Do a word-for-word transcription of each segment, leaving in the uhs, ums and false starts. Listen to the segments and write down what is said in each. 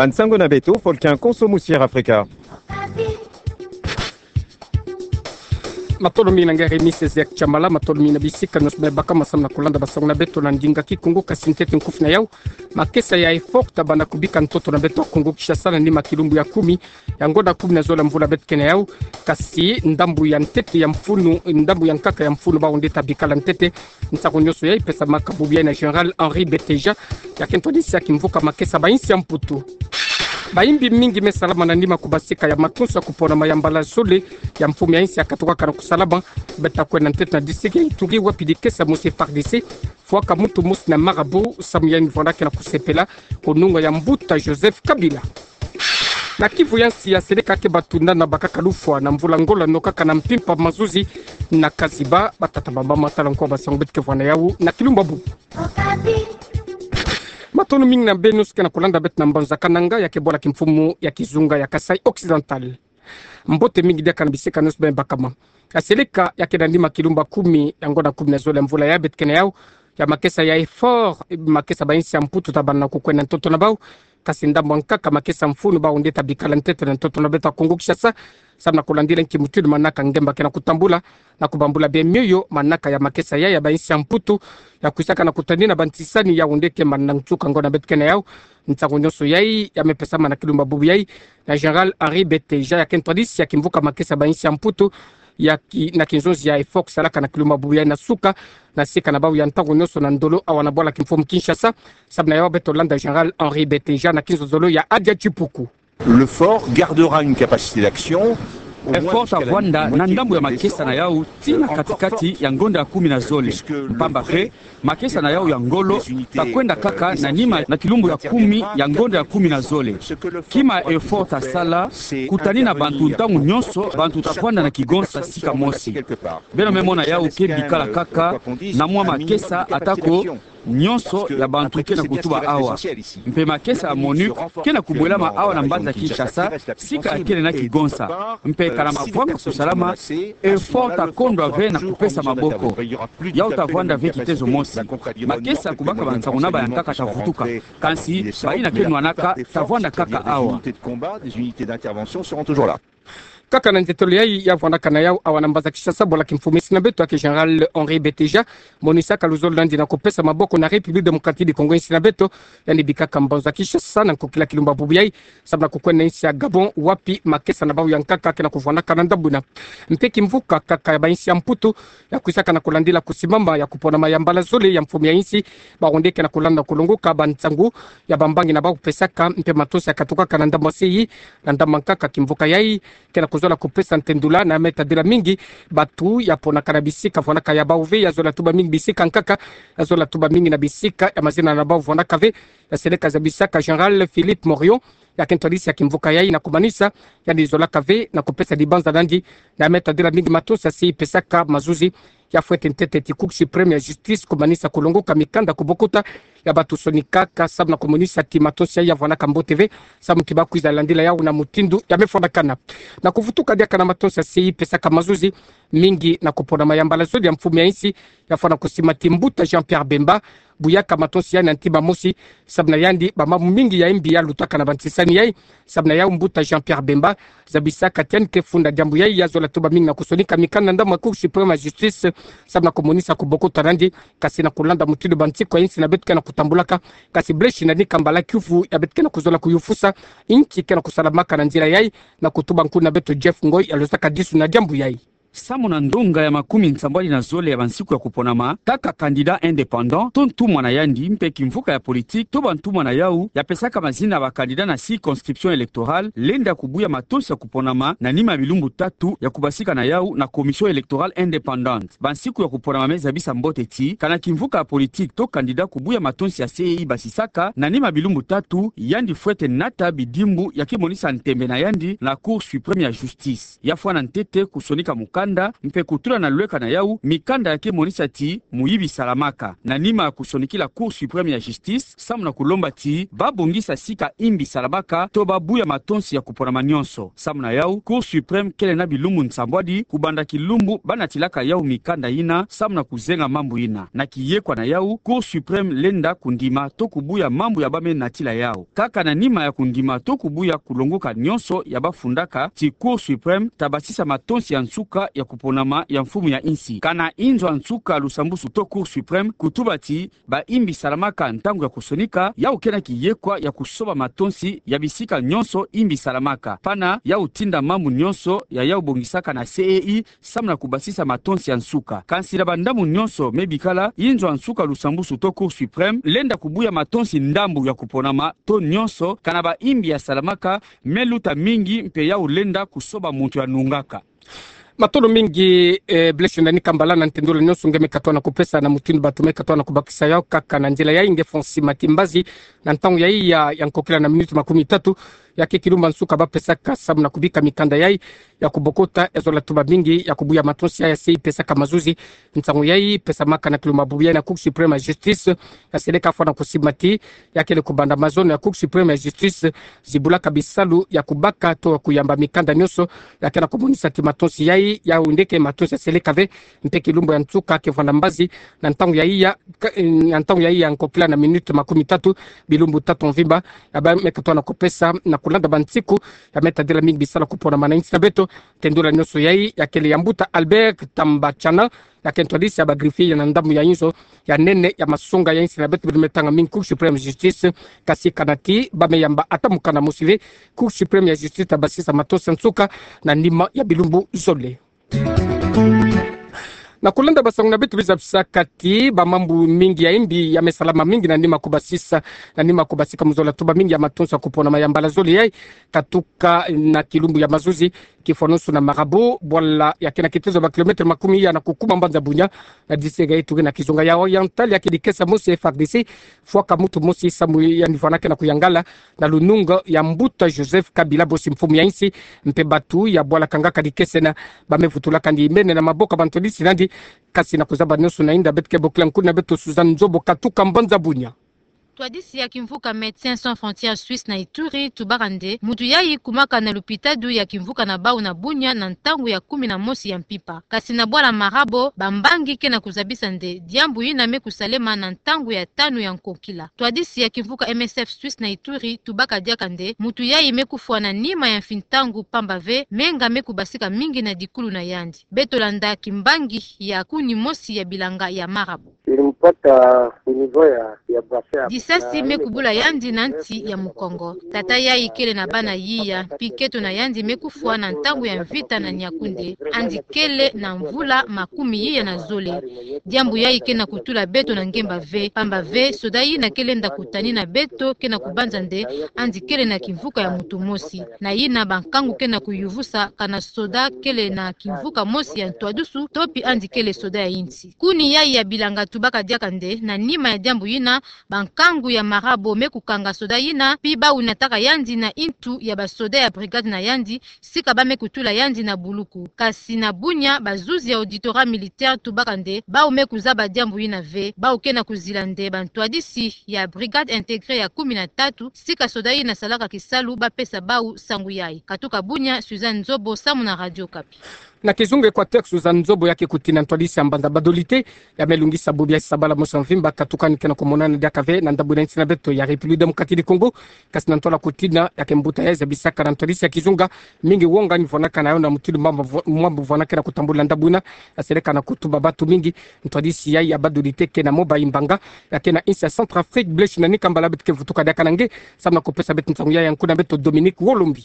Nsangu na beto, Volcan Konso Musier Afrika. Matondo mingi na nge Rémi Césaire Tshamala, matondo mingi na bisika nyonso beno baka ma samu na kulanda bansangu na beto na ndinga Kikongo. Kasi ntete nkufi na yau, makesa ya EFORT tabanda kubika ntoto na beto Kongo Kinshasa na nima kilumbu ya kumi ya ngonda kumi na zole ya mvula beto ke na yau. Kasi ndambu ya ntete ya mfunu, ndambu ya nkaka ya mfunu bawu nde tabikala ntete. Nsangu nyonso yai pesamaka bubu yai na Général Henri Beteja, ya ke ntwadisi ya kimvuka makesa ba insi ya Mputu. Bayimbi mingi me salama na nima kubasika ya matonso ya kuponama ya mbala zole ya mfumu ya insi ya katukaka na kusalama. Beta kwenda ntete na district ya Ituri, wapi dikesa mosi FARDC fwaka muntu mosi na marabout, samu ya yandi vwandaka na kusepela kununga ya mbuta Joseph Kabila. Na Kivu ya nsi, ya seleka ke batunana bakaka lufwa na mvula ngolo no kaka na mpimpa mazuzi na Kaziba. Batata bamama, tala nko bansangu beto ke vwa na yau na kilumbu bubu. Matondo mingi na beno nyonso ke na kulanda beto na mbanza Kananga, ya ke bwala kimfumu ya kizunga ya Kasaï Occidental. Mbote mingi diaka na bisika nyonso beno bakama. Ya seleka ya ke na nima kilumbu kumi ya ngonda kumi na zole ya mvula yai beto ke na yau, ya makesa ya EFORT, makesa ba insi ya Mputu tabanda na kukwenda ntoto na bawu. Kasi ndambu ya nkaka makesa mfunu bawu nde tabikala ntete na ntoto na beto Kongo Kinshasa, samu na kulandila nki mutindu manaka ngemba ke na kutambula, na kubambula bia mioyo manaka ya makesa yai ya ba insi ya Mputu, ya kwisaka na kutanina bantisani yawu nde ke mana nsuka ngonda beto ke na yau. Nsangu nyonso yai ya me pesama na kilumbu bubu yai na Général Henri Beteja, ya ke ntwadisi ya kimvuka makesa ba insi ya Mputu, ya ki-, na kinzonzi ya EFORT salaka na kilumbu bubu yai na suka na sika na bawu ya ntangu nyonso na ndolo awa na bwala kimfumu Kinshasa. Samu na yau beto landa Général Henri Beteja na kinzonzolo ya Adia Tshipuku. Le fort gardera une capacité d'action au moins jusqu'à la nuit. EFORT tavwanda na ndambu ya makesa na yau tii na katikati ya ngonda ya kumi na zole. Mpamba mpe, makesa na yau ya ngolo takwenda kaka na nima na kilumbu ya kumi ya ngonda ya kumi na zole. Kima EFORT tasala, kutanina bantu ntangu nyonso, bantu tavwanda na kigonsa sika mosi. Beno me mona yau ke bikala kaka na mwa makesa, atako nyonso ya bantu ke na kutuba awa. Mpe makesa ya MONUC ke na kubwelama awa na mbanza Kinshasa, sika ya kele na kigonsa. Mpe kana mavwanga kusalama, EFORT takondwa ve na kupesa maboko. Yau tavwanda ve kitezo mosi. Makesa kubaka bansangu na bayankaka tavutuka. Kansi bayina ke nwanaka tavwanda kaka awa. Kaka na nzietolo yai ya vwandaka na yau awa na mbanza Kinshasa, bwala kimfumu ya insi na beto ya ke Général Henri Beteja, monisaka luzolo na yandi na kupesa maboko na République Démocratique du Congo, insi na beto, yandi bikaka mbanza Kinshasa na nkokila kilumbu bubu yai, samu na kukwenda na insi ya Gabon, wapi makesa na bawu ya nkaka ke na kuvwandaka na ndambu yina. Mpe kimvuka kaka ya ba insi ya Mputu, ya kwisaka na kulandila kusimama ya kuponama ya mbala zole ya mfumu ya insi, bawu nde ke na kulanda kulongoka bansangu ya bambangi na bawu pesaka, mpe matonso ya katukaka na ndambu ya se yi, na ndambu ya nkaka kimvuka yai ke na kuzola kupesa ntendula na me tadila mingi bantu ya ponaka na bisika vwandaka ya bawu ve, ya zola tuba mingi bisika nkaka, ya zola tuba mingi na bisika ya mazina na bawu vwandaka ve, ya seleka zabisaka Général Philippe Morion, ya ke ntwadisi ya kimvuka yai na kumanisa yandi zolaka ve na kupesa dibanza na yandi na me tadila mingi matonso ya se yi pesaka mazuzi. Ya fwete ntete ti Cour suprême ya justice kumanisa kulongoka mikanda kubokota ya bantu sonikaka samu na kumonisa ti matonso yai ya vwandaka mbote ve, samu ti bakwiza landila yau na mutindu ya me fwanakana. Na kuvutuka diaka na matonso ya se yi pesaka mazuzi, mingi na kuponama ya mbala zole ya mfumu ya insi, ya fwana kusima ti mbuta Jean-Pierre Bemba, buyaka matonso yai na ntima mosi, samu na yandi bamamu mingi ya imbi ya lutaka na bantisani yai. Samu na yau mbuta Jean-Pierre Bemba zabisaka ti yandi ke funda diambu yai, ya zola tuba mingi na kusonika mikanda na ndambu ya Cour suprême ya justice, samu na kumonisa kubokota na yandi, kansi na kulanda mutindu bansiku ya insi na beto ke na kutambulaka, kansi bleshi na nika mbala kiuvu ya beto ke na kuzola kuyufusa, inki ke na kusalamaka na nzila yai, na kutuba nkuna beto Jeff Ngoy ya lozaka disu na diambu yai. Samu na ndonga ya makumi nsambwadi na zole ya bansiku ya kuponama, kaka candidat indépendant, to ntumwa na yandi, mpe kimvuka ya politique, to bantumwa na yau, ya pesaka mazina ya ba candidat na circonscription électorale, lenda kubuya matonso ya kuponama na nima ya bilumbu tatu ya kubasika na yau na Commission électorale indépendante. Bansiku ya kuponama me zabisa mbote ti, kana kimvuka ya politique to candidat kubuya matonso ya se yi basisaka na nima ya bilumbu tatu, yandi fwete nata bidimbu ya kimonisa ntembe na yandi na Cour suprême ya justice. Ya fwana ntete kusonika mukanda mikanda, mpe kutula na lweka na yau mikanda ya ke monisa ti muyibi salamaka. Na nima ya kusonikila Cour suprême ya justice, samu na kulomba ti babongisa sika imbi salamaka, to babuya matonsi ya kuponama nyonso. Samu na yau, Cour suprême kele na bilumbu nsambwadi kubanda kilumbu banatilaka yau mikanda yina, samu na kuzenga mambu yina. Na kiyekwa na yau, Cour suprême lenda kundima to kubuya mambu ya bame natila yau. Kaka na nima ya kundima to kubuya kulongoka nyonso ya bafundaka ti Cour suprême ta basisa matonsi ya nsuka ya kuponama ya mfumu ya insi. Kana inzo ya nsuka lusambusu to Cour suprême kutuba ti baimbi salamaka ntangu ya kusonika, yau ke na kiyekwa ya kusoba matonsi ya bisika nyonso imbi salamaka. Pana yau tinda mambu nyonso ya yau bongisaka na C E I, samu na kubasisa matonsi ya nsuka. Kansi na bandambu nyonso me bikala, inzo ya nsuka lusambusu to Cour suprême lenda kubuya matonsi ndambu ya kuponama to nyonso, kana baimbi ya salamaka me luta mingi mpe yau lenda kusoba muntu ya nungaka. Matondo mingi, eh, Blaise Ndani Kambala na ntendula nyonso nge me katoa na kupesa na mutindu bantu me katoa na kubakisa yau. Kaka na nzila yai nge fwa nsi mati mbazi na ntangu yai ya, ya nkokila na minuti makumi tatu, ya ke kilumbu ya nsuka bapesaka samu na kubika mikanda yai ya kubokota, ya zola tuba mingi ya kubuya matonsi ya C E I pesaka mazuzi. Nsangu yai pesamaka na kilumbu ya bubu yai na Cour suprême ya justice, ya seleka fwa na kusimba ti ya kele kubanda mazono ya Cour suprême ya justice zibulaka bisalu ya kubaka to kuyamba mikanda nyonso ya ke na kumonisa ti matonsi yai, yau nde ke matonsi ya seleka ve. Mpe kilumbu ya nsuka ke vwanda mbazi na ntangu yai ya, ka-, na ntangu yai ya nkokila na minuti makumi tatu, bilumbu tatu mvimba, ya bame katoa na kupesa na kulanda bansiku ya me tadila mingi bisalu ya kuponama na insi na beto. Ntendula nyonso yai ya kele ya mbuta Albert Tambachana, ya ke ntwadisi ya ba greffier ya na ndambu ya inzo ya nene ya masonga ya insi na beto, biri me tanga mingi Cour suprême ya justice. Kasi kana ti bame yamba ata mukanda mosi ve, Cour suprême ya justice ta basisa matonsi ya nsuka na nima ya bilumbu zole. Na kulanda basangu na beto, biza bisaka ti bamambu mingi ya imbi ya me salama mingi na nima kubasisa, na nima kubasika mu zola tuba mingi ya matonsi ya kuponama ya mbala zole yai, katuka na kilumbu ya mazuzi, kifwanusu na Marabo, bwala ya ke na kitezo ba kilomètre makumi ya na kukuma mbanza Bunia, na district ya Ituri na kizunga ya Oriental, ya ke dikesa mosi F R D C fwaka mutu mosi samu ya nivana ke na kuyangala na lununga ya mbuta Joseph Kabila Bossi, mfumu ya insi. Mpe bantu ya bwala kangaka dikesena bame vutulaka ndi mene na maboko ya bantwadisi nandi. Kasi na kuzaba nyonso na inda, beto ke bokila nkuna beto Suzanne Nzobo katuka mbanza Bunia. Ntwadisi ya kimvuka Médecins Sans Frontières Suisse na Ituri tubaka nde mutu yai kumaka na lupitadu ya kimvuka na bau na Bunia na ntangu ya kumi na mosi ya mpimpa. Kasi na bwala Marabo, bambangi ke na kuzabisa nde diambu yina me kusalema na ntangu ya tanu ya nkokila. Ntwadisi ya kimvuka M S F Suisse na Ituri tubaka diaka nde mutu yai me kufwa na nima ya mfi ntangu, pamba ve menga me kubasika mingi na dikulu na yandi. Beto landa kimbangi ya kuni mosi ya bilanga ya Marabo. Ilimpata au niveau ya, ya bassin. Disasi me kubula yandi na nsi ya mukongo. Tata yai kele na bana yiya, mpi keto na yandi me kufwa na ntangu ya mvita na Niakoundé. Yandi kele na mvula makumi yiya na zole. Diambu yai ke na kutula beto na ngemba ve, pamba ve soda yina ke lenda kutanina beto ke na kubanza nde yandi kele na kimvuka ya mutu mosi. Na yina bankangu ke na kuyuvusa kana soda kele na kimvuka mosi ya ntwadusu, to mpi yandi kele soda ya insi. Kuni yai ya bilanga tubaka diaka nde, na nima ya diambu yina, bankangu ya Marabo me kukanga soda yina, mpi bau nataka yandi na intu ya basoda ya brigade na yandi, sika bame kutula yandi na buluku. Kasi na Bunia, bazuzi ya auditorat militaire tubaka nde bau me kuzaba diambu yina ve, bau ke na kuzila nde bantwadisi ya brigade intégrée ya kumi na tatu, sika soda yina salaka kisalu, bapesa bau sangu yai. Katuka Bunia, Suzanne Nzobo samu na Radio Okapi. Na kizunga Equateur, Suzanne Nzobo ya ke kutina ntwadisi ya mbanza Badolite, ya me lungisa bubu ya sabala mosi ya mvimba, katuka ni ke na kumonana diaka ve na ndambu na insi na beto ya République Démocratique du Congo. Kasi na ntwala kutina, ya ke mbuta yai zabisaka na ntwadisi ya kizunga mingi wonga ni vwanakana yo na mutindu mambu vwa-, mambu vwanakana kutambula ndambu yina, ya seleka na kutuba bantu mingi. Ntwadisi yai ya Badolite ke na moba imbanga ya ke na insi ya Centrafrique. Blaise Ndani Kambala, beto ke vutuka diaka na nge samu na kupesa beto nsangu yai ya nkuna beto Dominique Wolombi.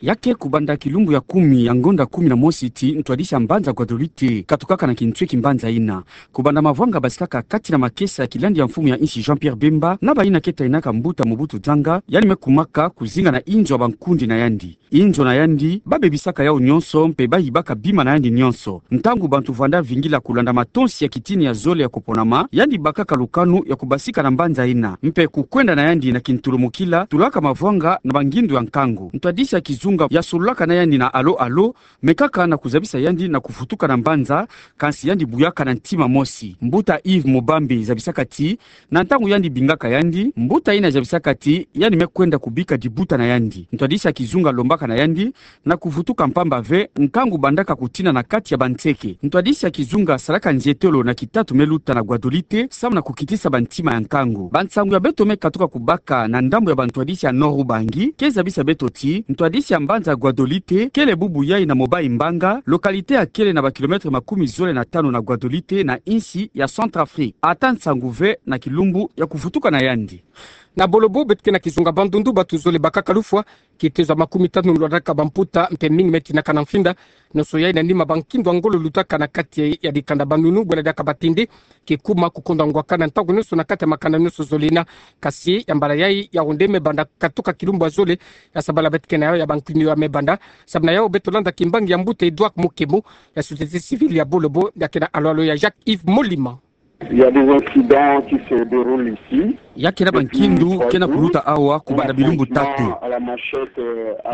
Ya ke kubanda kilumbu ya kumi ya ngonda kumi na mosi ti ntwadisi ya mbanza Guadeloupe katukaka na kintwe kimbanza yina. Kubanda mavwanga basikaka kati na makesa ya kilandi ya mfumu ya insi Jean-Pierre Bemba na bayina ke tainaka mbuta Mobutu Nzanga, yandi me kumaka kuzinga na inzo ya bankundi na yandi. Inzo na yandi, babebisaka yau nyonso, mpe bayibaka bima na yandi nyonso. Ntangu bantu vwanda vingila kulanda matonsi ya kitini ya zole ya kuponama, yandi bakaka lukanu ya kubasika na mbanza yina, mpe kukwenda na yandi na kintulumukila, tulaka mavwanga na bangindu ya nkangu. Ntwadisi ya kizu- kitunga ya sololaka na yandi na alo alo, me kaka na kuzabisa yandi na kuvutuka na mbanza, kansi yandi buyaka na ntima mosi. Mbuta Yves Mubambe zabisaka ti, na ntangu yandi bingaka yandi, mbuta yina zabisaka ti yandi me kwenda kubika dibuta na yandi. Ntwadisi ya kizunga lombaka na yandi na kuvutuka mpamba ve nkangu bandaka kutina na kati ya banseke. Ntwadisi ya kizunga salaka nzietolo na kitatu me luta na Guadolite, samu na kukitisa bantima ya nkangu. Bansangu ya beto me katuka kubaka na ndambu ya bantwadisi ya Nord-Ubangi ke zabisa beto ti, ntwadisi ya mbanza ya Guadolite kele bubu yai na Mobayi Mbanga, localité ya kele na ba kilomètre makumi zole na tanu na Guadolite, na insi ya Centrafrique. Ata nsangu ve na kilumbu ya kuvutuka na yandi. Na Bolo-Bou, beto ke na kizunga Bandundu, bantu zole bakaka lufwa, kitezo ya makumi tanu lwalaka bamputa, mpe mingi me tinaka na mfinda. Nionso yai na nima bankindu ya ngolo lutaka na kati ya dikanda banunu, bwela diaka batindi, kikuma kukonda ngwaka na ntangu nionso na kati ya makanda nionso zole yina. Kasi ya mbala yai, Yaoundé me banda katuka kilumbu ya zole, ya sabala beto ke na yayo ya bankindu ya me banda. Samu na yayo beto landa kimbangi ya mbuta Edouard Mukemu, ya société civile ya Bolo-Bou, ya ke na alo-alo ya Jacques Yves Molima. Il y a des incidents qui se déroulent ici. Ya ke na bankindu ke na kuluta awa kubanda bilumbu tatu.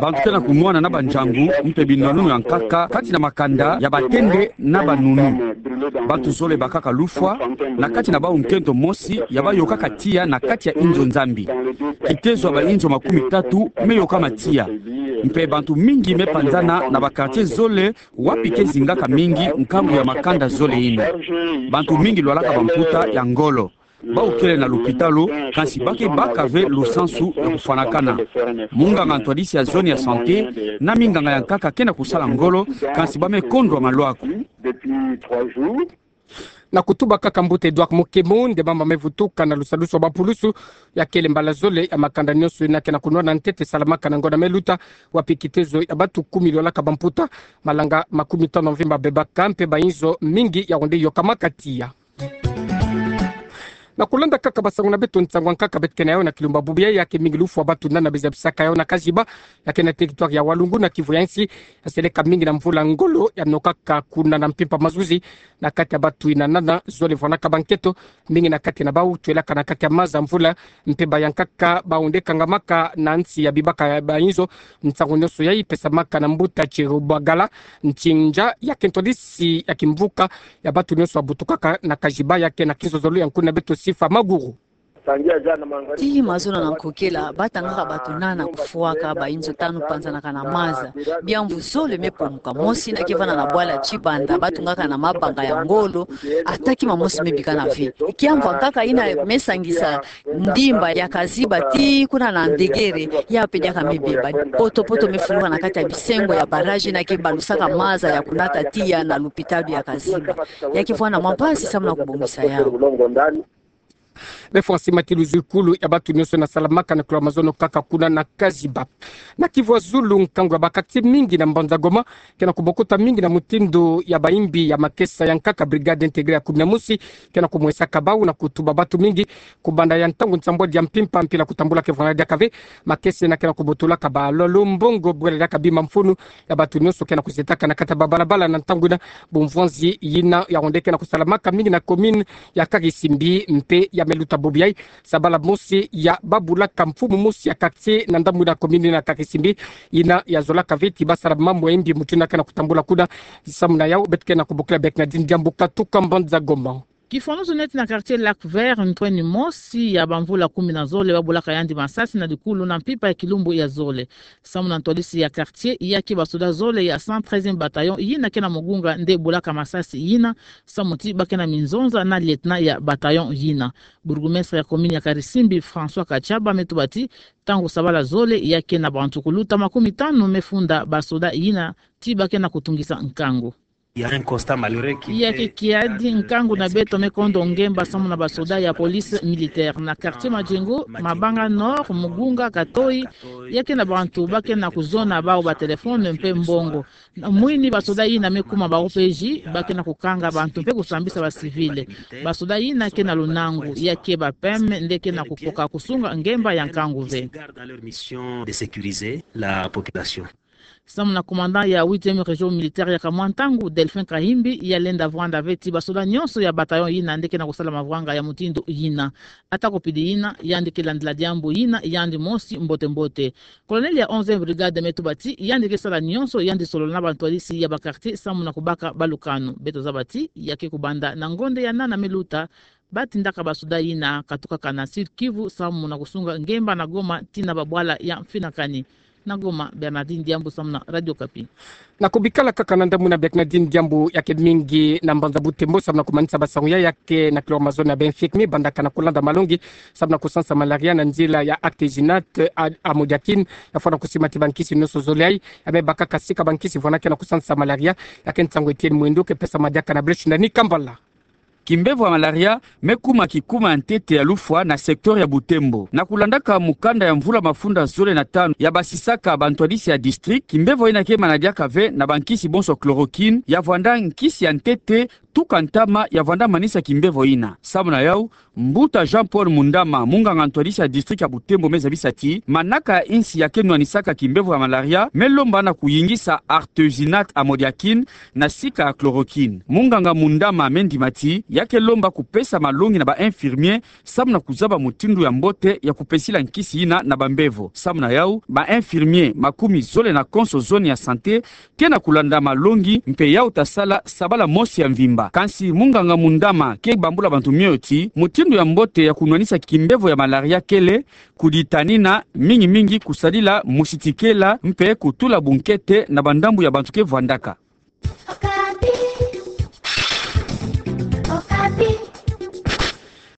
Bantu ke na kunwana na banjangu, mpe binwanunu ya nkaka kati na makanda ya batende na banunu. Bantu zole bakaka lufwa, na kati na bawu nkento mosi ya bayokaka tiya na kati ya inzo Nzambi. Kitezo ya bainzo makumi tatu me yokama tiya. Mpe bantu mingi me panzana na ba quartier zole, wapi ke zingaka mingi nkangu ya makanda zole yina. Bantu mingi lwalaka bamputa ya ngolo. Bawu kele na lupitalu, kansi ba ke baka ve lusansu ya kufwanakana. Munganga ntwadisi ya zone ya santé na minganga ya nkaka ke na kusala ngolo, kansi ba me kondwa malwaku. Na kutuba kaka mbuta Edouard Mukemu, nde mama me vutuka na lusadusu ya bapulusu, ya kele mbala zole ya makanda nionso yina ke na kunwana ntete salamaka na ngonda me luta, wapi kitezo ya bantu kumi lwalaka bamputa, malanga makumi tanu mvimba bebaka, mpe bainzo mingi Yaoundé yokamaka tiya. Na kulanda kaka basangu na beto, nsangu ya nkaka beto ke na yayo na kilumbu ya bubu yai, ya ke mingi lufwa bantu nana be zabisaka yayo na Kaziba, ya ke na territoire ya Walungu na Kivu ya nsi, ya seleka mingi na mvula ngolo ya nokaka kuna na mpimpa mazuzi, na kati ya bantu yina nana zole vwanaka bankento, mingi na kati na bawu twelaka na kati ya maza mvula, mpe ba ya nkaka bawu nde kangamaka na nsi ya bibaka ya bainzo. Nsangu nionso yai pesamaka na mbuta Thierry Bagala Ntinja, ya ke ntwadisi ya kimvuka ya bantu nionso ya butukaka na Kaziba, ya ke na kinzonzolo ya nkuna beto Sifa Maguru. Tii mazono na nkokela, batangaka bantu nana kufwaka bainzo tanu panzanaka na maza. Biamvu zole me pomuka. Mosi na ke vanda na bwala Tshibanda, batungaka na mabanga ya ngolo, ata kima mosi me bikana ve. Kiamvu ya nkaka yina me sangisa ndimba ya Kaziba tii kuna na Ndengere, ya mpe diaka me beba. Poto-poto me fuluka na kati ya bisengo ya barrage na ke balusaka maza ya kunata tiya na lupitalu ya Kaziba. Ya ke vwanda mwa mpasi samu na kubongisa yawu. Be fwasi matilu zikulu ya bantu nionso na salamaka na kula mazono kaka kuna na Kaziba. Na Kivu ya Zulu, nkangu ya ba quartier mingi na mbanza Goma ke na kubokota mingi na mutindu ya bayimbi ya makesa ya nkaka, brigade intégrée ya kumi na mosi, ke na kumwesaka bawu na kutuba bantu mingi kubanda ya ntangu nsambwadi ya mpimpa mpila kutambula ke vwanda diaka ve. Makesa yina ke na kubotolaka ba lolo, mbongo, bwela diaka bima mfunu ya bantu nionso ke na kuzetaka na kati ya babalabala na ntangu yina. Bumvwanzi yina Yaoundé ke na kusalamaka mingi na commune ya Karisimbi mpe ya me luta bubu yai. Sabala mosi ya babulaka mfumu mosi ya quartier na ndambu na commune na Karisimbi, yina ya zolaka ve ti basala mambu ya imbi mutindu yina ke na kutambula kuna. Samu na yawu beto ke na kubokila Bernardine Diambu katuka mbanza Goma. Kifwanuzu neti na quartier Lac Vert, ntweni mosi ya bamvula kumi na zole babulaka yandi masasi na dikulu na mpimpa ya kilumbu ya zole. Samu na ntwadisi ya quartier, ya ke basoda zole ya cent treizième bataillon yina ke na mugunga nde bulaka masasi yina, samu ti ba ke na minzonza na lieutenant ya bataillon yina. Bourgmestre ya commune ya Karisimbi, François Katshaba, me tuba ti ntangu sabala zole ya ke na bantu kuluta makumi tanu me funda basoda yina ti ba ke na kutungisa nkangu. Il y a un constat malheureux qui... Ya ke kiadi, nkangu na beto me kondo ngemba samu na basoda ya police militaire na quartier Madjengo, Mabanga Nord, Mugunga, Katoyi, ya ke na bantu ba ke na kuzona bawu ba téléphone mpe mbongo. Na mwini basoda yina me kuma ba O P J, ba ke na kukanga bantu mpe kusambisa ba civils. Basoda yina ke na lunangu, ya ke ba P M nde ke na kukoka kusunga ngemba ya nkangu ve. Garde à leur mission de sécuriser la population. Samu na commandant ya huitième région militaire ya kamwa ntangu, Delphin Kahimbi, ya lenda vwanda ve ti basoda nyonso ya bataillon yina nde ke na kusala mavwanga ya mutindu yina. Atako pidi yina, yandi ke landila diambu yina yandi mosi mbote mbote. Colonel ya onzième brigade me tuba ti yandi ke sala nyonso yandi solola na bantwadisi ya ba quartier samu na kubaka balukanu. Beto zaba ti ya ke kubanda na ngonde ya nana me luta, ba tindaka basoda yina katukaka na Sud-Kivu samu na kusunga ngemba na Goma tii na babwala ya mfinakani. Na Goma, Bernardine Diambu samu na Radio Okapi. Na kubikala kaka na ndambu na Bernardine Diambu, ya ke mingi na mbanza Butembo samu na kumanisa basangu ya, ya ke na chloromazone na ba infirmier bandaka na kulanda malongi samu na kusansa malaria na nzila ya artesunate a-, amodiaquine, ya fwana kusima ti bankisi nyonso zole ayi, ya me bakaka sika bankisi vwanaka na kusansa malaria. Ya ke nsangu Etienne Mwendo ke pesa madiaka na Brèche na Nikambala. Kimbevo ya malaria me kuma kikuma ya ntete ya lufwa na secteur ya Butembo. Na kulandaka mukanda ya mvula mafunda zole na tanu ya basisaka bantwadisi ya district, kimbevo yina ke manadiaka ve na bankisi bonso chloroquine, ya vwanda nkisi ya ntete tuka ntama ya vwanda manisa kimbevo yina. Samu na yau, mbuta Jean-Paul Mundama, munganga ntwadisi ya district ya Butembo, me zabisa ti manaka ya insi ya ke nwanisaka kimbevo ya malaria me lomba na kuyingisa artesunate amodiaquine na sika ya chloroquine. Munganga Mundama me ndima ti ya ke lomba kupesa malongi na ba infirmier samu na kuzaba mutindu ya mbote ya kupesila nkisi yina na bambevo. Samu na yau, ba infirmier makumi zole na konso zone ya santé ke na kulanda malongi, mpe yau ta sala sabala mosi ya mvimba. Kansi munganga Mundama ke bambula bantu mioyo ti mutindu ya mbote ya kunwanisa kimbevo ya malaria kele kuditanina, mingi mingi kusadila musitikela mpe kutula bunkete na bandambu ya bantu ke vwandaka.